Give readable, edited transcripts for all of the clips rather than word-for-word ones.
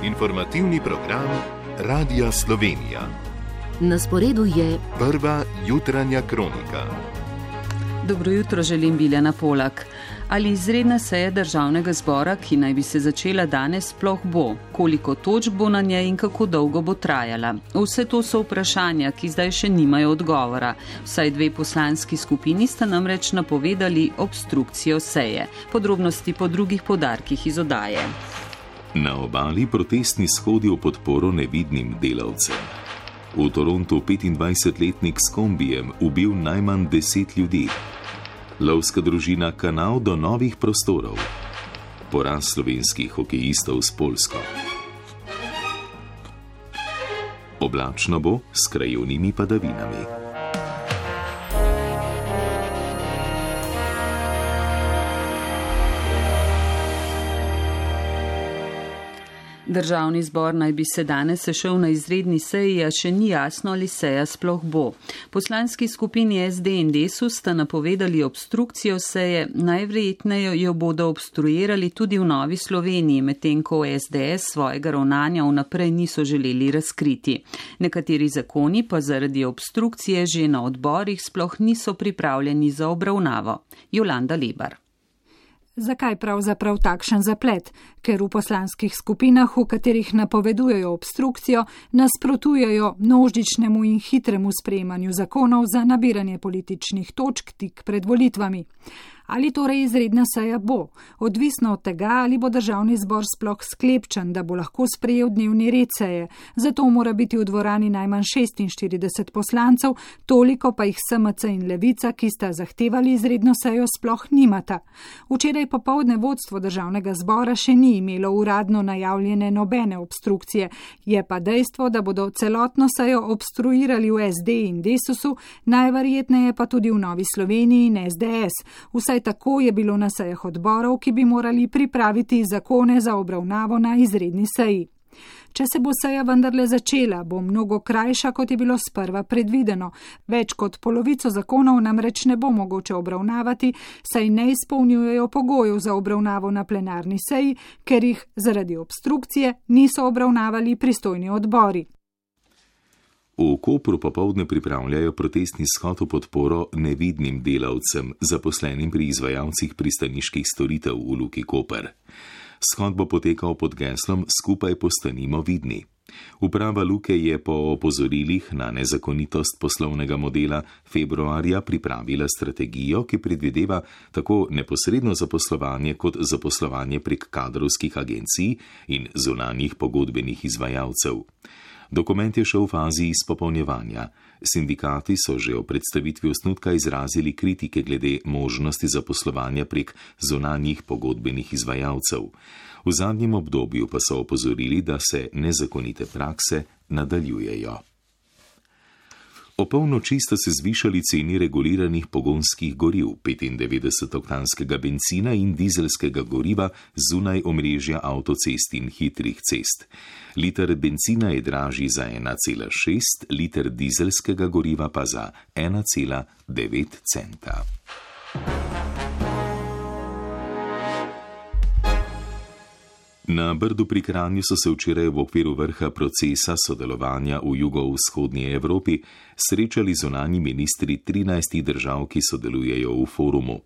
Informativni program Radia Slovenija. Na sporedu je prva jutranja kronika. Dobro jutro, želim Biljana Polak. Ali izredna seja državnega zbora, ki naj bi se začela danes, sploh bo? Koliko točk bo na njej in kako dolgo bo trajala? Vse to so vprašanja, ki zdaj še nimajo odgovora. Vsaj dve poslanski skupini sta namreč napovedali obstrukcijo seje. Podrobnosti po drugih podarkih iz oddaje. Na obali protestni shodi v podporo nevidnim delavcem. V Torontu 25-letnik s kombijem ubil najmanj 10 ljudi. Lovska družina Kanal do novih prostorov. Poraz slovenskih hokejistov s Poljsko. Oblačno bo s krajevnimi padavinami. Državni zbor naj bi se danes sešel na izredni seji, a še ni jasno, ali seja sploh bo. Poslanski skupini SD in Desus sta napovedali obstrukcijo seje, najverjetneje jo bodo obstruirali tudi v Novi Sloveniji, medtem ko SDS svojega ravnanja vnaprej niso želeli razkriti. Nekateri zakoni pa zaradi obstrukcije že na odborih sploh niso pripravljeni za obravnavo. Jolanda Lebar. Zakaj pravzaprav takšen zaplet? Ker v poslanskih skupinah, v katerih napovedujejo obstrukcijo, nasprotujejo množičnemu in hitremu sprejemanju zakonov za nabiranje političnih točk tik pred volitvami. Ali torej izredna seja bo? Odvisno od tega, ali bo državni zbor sploh sklepčen, da bo lahko sprejel dnevni red seje. Zato mora biti v dvorani najmanj 46 poslancev, toliko pa jih SMC in Levica, ki sta zahtevali izredno sejo, sploh nimata. Včeraj popoldne vodstvo državnega zbora še ni imelo uradno najavljene nobene obstrukcije. Je pa dejstvo, da bodo celotno sejo obstruirali v SD in Desusu, najverjetneje pa tudi v Novi Sloveniji in SDS. Vsaj tako je bilo na sejah odborov, ki bi morali pripraviti zakone za obravnavo na izredni seji. Če se bo seja vendarle začela, bo mnogo krajša, kot je bilo sprva predvideno. Več kot polovico zakonov namreč ne bo mogoče obravnavati, saj ne izpolnjujejo pogojev za obravnavo na plenarni seji, ker jih zaradi obstrukcije niso obravnavali pristojni odbori. V Kopru popoldne pripravljajo protestni shod v podporo nevidnim delavcem, zaposlenim pri izvajalcih pristaniških storitev v Luki Koper. Shod bo potekal pod geslom Skupaj postanimo vidni. Uprava Luke je po opozorilih na nezakonitost poslovnega modela februarja pripravila strategijo, ki predvideva tako neposredno zaposlovanje kot zaposlovanje prek kadrovskih agencij in zunanjih pogodbenih izvajalcev. Dokument je še v fazi izpopolnjevanja. Sindikati so že o predstavitvi osnutka izrazili kritike glede možnosti zaposlovanja prek zunanjih pogodbenih izvajalcev. V zadnjem obdobju pa so opozorili, da se nezakonite prakse nadaljujejo. O polnoči sta se zvišali ceni reguliranih pogonskih goriv, 95-oktanskega bencina in dizelskega goriva zunaj omrežja avtocest in hitrih cest. Liter bencina je dražji za 1,6, liter dizelskega goriva pa za 1,9 centa. Na Brdu pri Kranju so se včeraj v okviru vrha procesa sodelovanja v jugovzhodnji Evropi srečali zunanji ministri 13 držav, ki sodelujejo v forumu.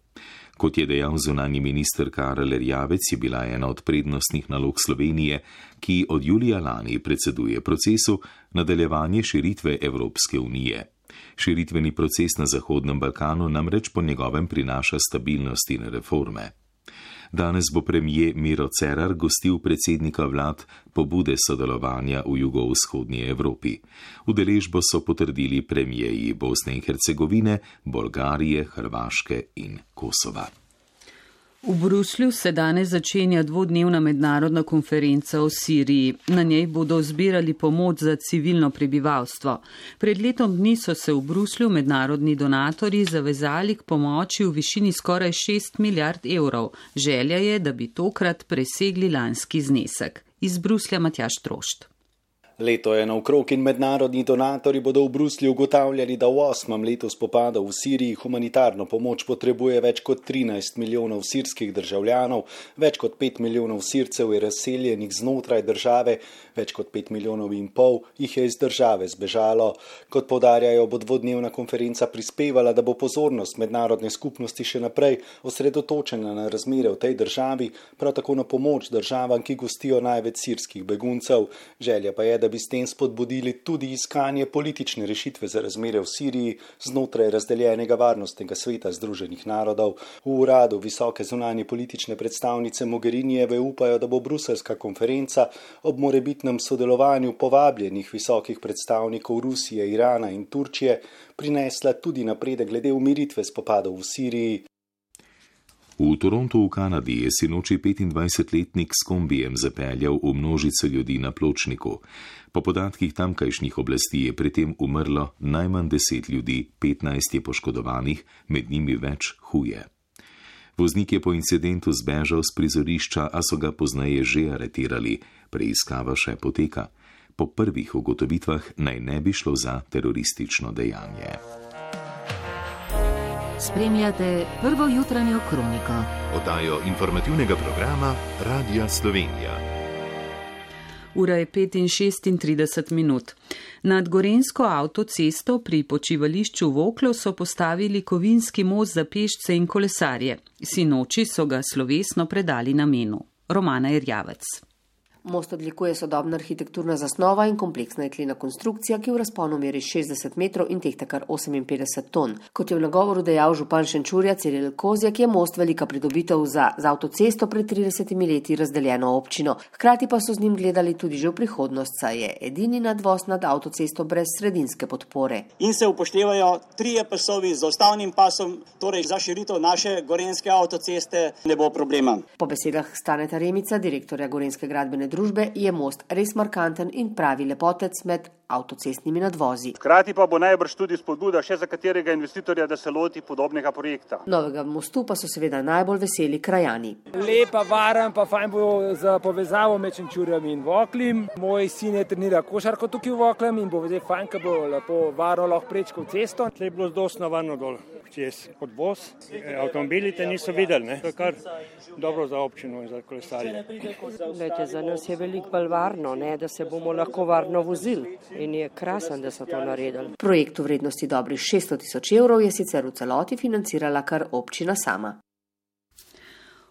Kot je dejal zunanji minister Karel Erjavec, je bila ena od prednostnih nalog Slovenije, ki od julija lani predseduje procesu, nadaljevanje širitve Evropske unije. Širitveni proces na Zahodnem Balkanu namreč po njegovem prinaša stabilnost in reforme. Danes bo premier Miro Cerar gostil predsednika vlad pobude sodelovanja v jugovzhodnji Evropi. Udeležbo so potrdili premierji Bosne in Hercegovine, Bolgarije, Hrvaške in Kosova. V Bruslju se danes začenja dvodnevna mednarodna konferenca o Siriji. Na njej bodo zbirali pomoč za civilno prebivalstvo. Pred letom dni so se v Bruslju mednarodni donatorji zavezali k pomoči v višini skoraj 6 milijard evrov. Želja je, da bi tokrat presegli lanski znesek. Iz Bruslja Matjaž Trošt. Leto je naokrog in mednarodni donatorji bodo v Bruslju ugotavljali, da v 8. letu spopadov v Siriji humanitarno pomoč potrebuje več kot 13 milijonov sirskih državljanov, več kot 5 milijonov Sircev je razseljenih znotraj države, več kot 5,5 milijonov jih je iz države zbežalo. Kot poudarjajo, bo dvodnevna konferenca prispevala, da bo pozornost mednarodne skupnosti še naprej osredotočena na razmere v tej državi, prav tako na pomoč državam, ki gostijo največ sirskih beguncev. Želja pa je, da bi s tem spodbudili tudi iskanje politične rešitve za razmere v Siriji znotraj razdeljenega varnostnega sveta Združenih narodov. V uradu visoke zunanje politične predstavnice Mogherinijeve upajo, da bo bruseljska konferenca ob morebitnem sodelovanju povabljenih visokih predstavnikov Rusije, Irana in Turčije prinesla tudi napredek glede umiritve spopadov v Siriji. V Torontu v Kanadi je sinoči 25-letnik s kombijem zapeljal v množico ljudi na pločniku. Po podatkih tamkajšnjih oblasti je pri tem umrlo najmanj 10 ljudi, 15 je poškodovanih, med njimi več huje. Voznik je po incidentu zbežal z prizorišča, a so ga pozneje že aretirali, preiskava še poteka. Po prvih ugotovitvah naj ne bi šlo za teroristično dejanje. Spremljate prvo jutranjo kroniko. Oddajo informativnega programa Radia Slovenija. Ura je 5:36. Nad Gorenjsko avtocesto pri počivališču Voklo so postavili kovinski most za pešce in kolesarje. Sinoči so ga slovesno predali namenu. Romana Erjavec. Most odlikuje sodobna arhitekturna zasnova in kompleksna jeklena konstrukcija, ki v razponu meri 60 metrov in tehta kar 58 ton. Kot je v nagovoru dejal župan Šenčurja Ciril Kozjak, je most velika pridobitev za avtocesto pred 30 leti razdeljeno občino. Hkrati pa so z njim gledali tudi že v prihodnost, saj je edini nadvoz nad avtocesto brez sredinske podpore. In se upoštevajo 3 pasovi z ustavnim pasom, torej za širitev naše gorenjske avtoceste ne bo problema. Po besedah Staneta Remica, direktorja Gorenjske gradbene družbe, je most res markanten in pravi lepotec med avtocestnimi nadvozi. Hkrati pa bo najbrž tudi spodbuda še za katerega investitorja, da se loti podobnega projekta. Novega mostu pa so seveda najbolj veseli krajani. Lepa, varen, pa fajn bo za povezavo med Šenčurjem in Voklim. Moj sin je trenira košarko tukaj v Voklem in bo zdaj fajn, ko bo lepo varno lahko prečkal cesto. Tle je bilo dosti navarno dol, čez odvoz. Avtomobili te niso videli, ne? To je kar dobro za občino in za kolesarje. Lejte, za nas je veliko bolj varno, ne, da se bomo lahko varno vozili in je krasen, da so to naredili. Projekt v vrednosti dobrih 600 000 evrov je sicer v celoti financirala kar občina sama.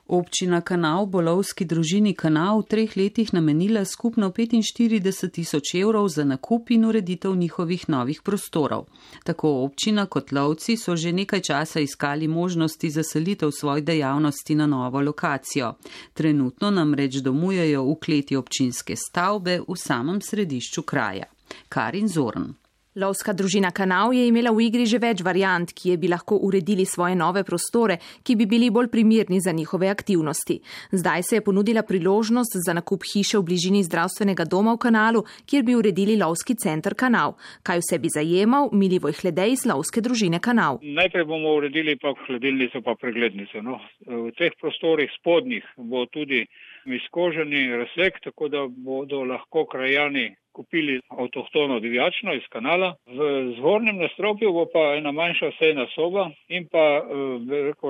Občina Kanal bo lovski družini Kanal v 3 letih namenila skupno 45 000 evrov za nakup in ureditev njihovih novih prostorov. Tako občina kot lovci so že nekaj časa iskali možnosti za selitev svojih dejavnosti na novo lokacijo. Trenutno namreč domujejo v kleti občinske stavbe v samem središču kraja. Karin Zorn. Lovska družina Kanal je imela v igri že več variant, ki bi lahko uredili svoje nove prostore, ki bi bili bolj primerni za njihove aktivnosti. Zdaj se je ponudila priložnost za nakup hiše v bližini zdravstvenega doma v Kanalu, kjer bi uredili lovski center Kanal. Kaj vse bi zajemal, Milivoj Hledej iz lovske družine Kanal. Najprej bomo uredili pa hladilnico pa preglednico. No. V teh prostorih spodnjih bo tudi izkoženi razsek, tako da bodo lahko krajani kupili avtohtono divjačno iz Kanala. V zgornjem nadstropju bo pa ena manjša sejna soba in pa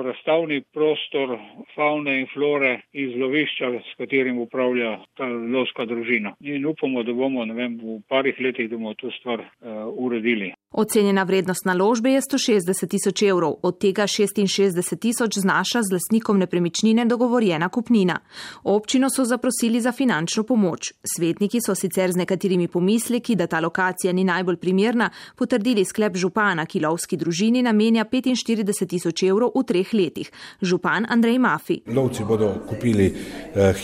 razstavni prostor favne in flore iz lovišča, s katerim upravlja ta lovska družina. In upamo, da bomo v parih letih, da bomo to stvar uredili. Ocenjena vrednost naložbe je 160 000 evrov, od tega 66 000 znaša z lastnikom nepremičnine dogovorjena kupnina. Občino so zaprosili za finančno pomoč. Svetniki so sicer z nekaterimi pomisleki, da ta lokacija ni najbolj primerna, potrdili sklep župana, ki lovski družini namenja 45 000 evrov v 3 letih. Župan Andrej Mafi. Lovci bodo kupili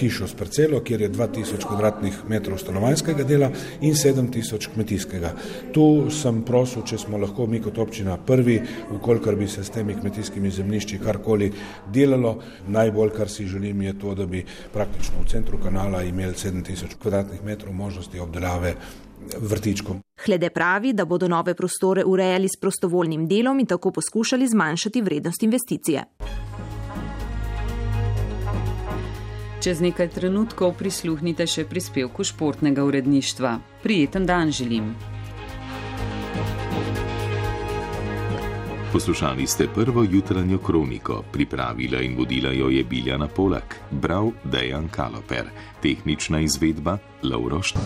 hišo s parcelo, kjer je 2000 kvadratnih metrov stanovanjskega dela in 7000 kmetijskega. Tu sem prosil, če smo lahko mi kot občina prvi, ukolikor bi se s temi kmetijskimi zemljišči karkoli delalo. Najbolj, kar si želim, je to, da bi praktično v centru Kanala imeli 7000 kvadratnih metrov možnosti obdelave vrtičkom. Hlede pravi, da bodo nove prostore urejali s prostovoljnim delom in tako poskušali zmanjšati vrednost investicije. Čez nekaj trenutkov prisluhnite še prispevku športnega uredništva. Prijeten dan želim. Poslušali ste prvo jutranjo kroniko, pripravila in vodila jo je Biljana Polak, bral Dejan Kaloper, tehnična izvedba Lovro Št.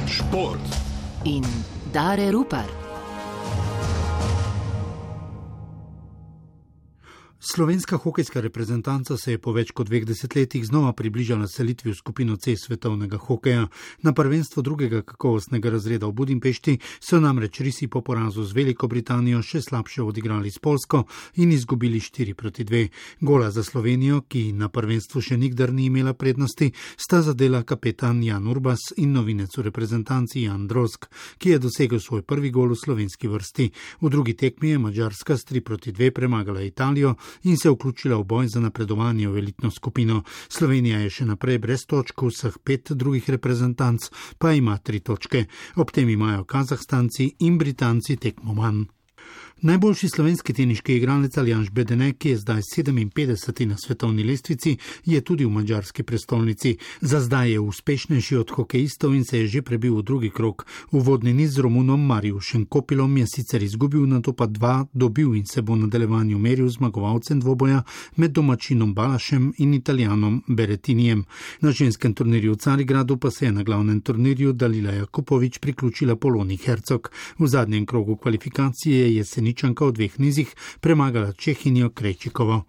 Šport in Dare Rupar. Slovenska hokejska reprezentanca se je po več kot 2 desetletjih znova približala selitvi v skupino C svetovnega hokeja. Na prvenstvo drugega kakovostnega razreda v Budimpešti so namreč risi po porazu z Veliko Britanijo še slabše odigrali s Poljsko in izgubili 4-2. Gola za Slovenijo, ki na prvenstvu še nikdar ni imela prednosti, sta zadela kapetan Jan Urbas in novinec v reprezentanci Jan Drozg, ki je dosegel svoj prvi gol v slovenski vrsti. V drugi tekmi je Madžarska s 3-2 premagala Italijo in se vključila v boj za napredovanje v elitno skupino. Slovenija je še naprej brez točk, vseh 5 drugih reprezentanc pa ima 3 točke. Ob tem imajo Kazahstanci in Britanci tekmo manj. Najboljši slovenski teniški igralec Aljaž Bedene, ki je zdaj 57. na svetovni lestvici, je tudi v madžarski prestolnici. Za zdaj je uspešnejši od hokejistov in se je že prebil v drugi krog. Uvodni niz z Romunom Mariušem Kopilom je sicer izgubil, nato pa 2 dobil in se bo v nadaljevanju meril zmagovalcem dvoboja med domačinom Balašem in Italijanom Berettinijem. Na ženskem turnirju v Carigradu pa se je na glavnem turnirju Dalila Jakupović priključila Poloni Hercog. V zadnjem krogu kvalifikacije je Ničanka v 2 nizih premagala Čehinjo Krejčikovo.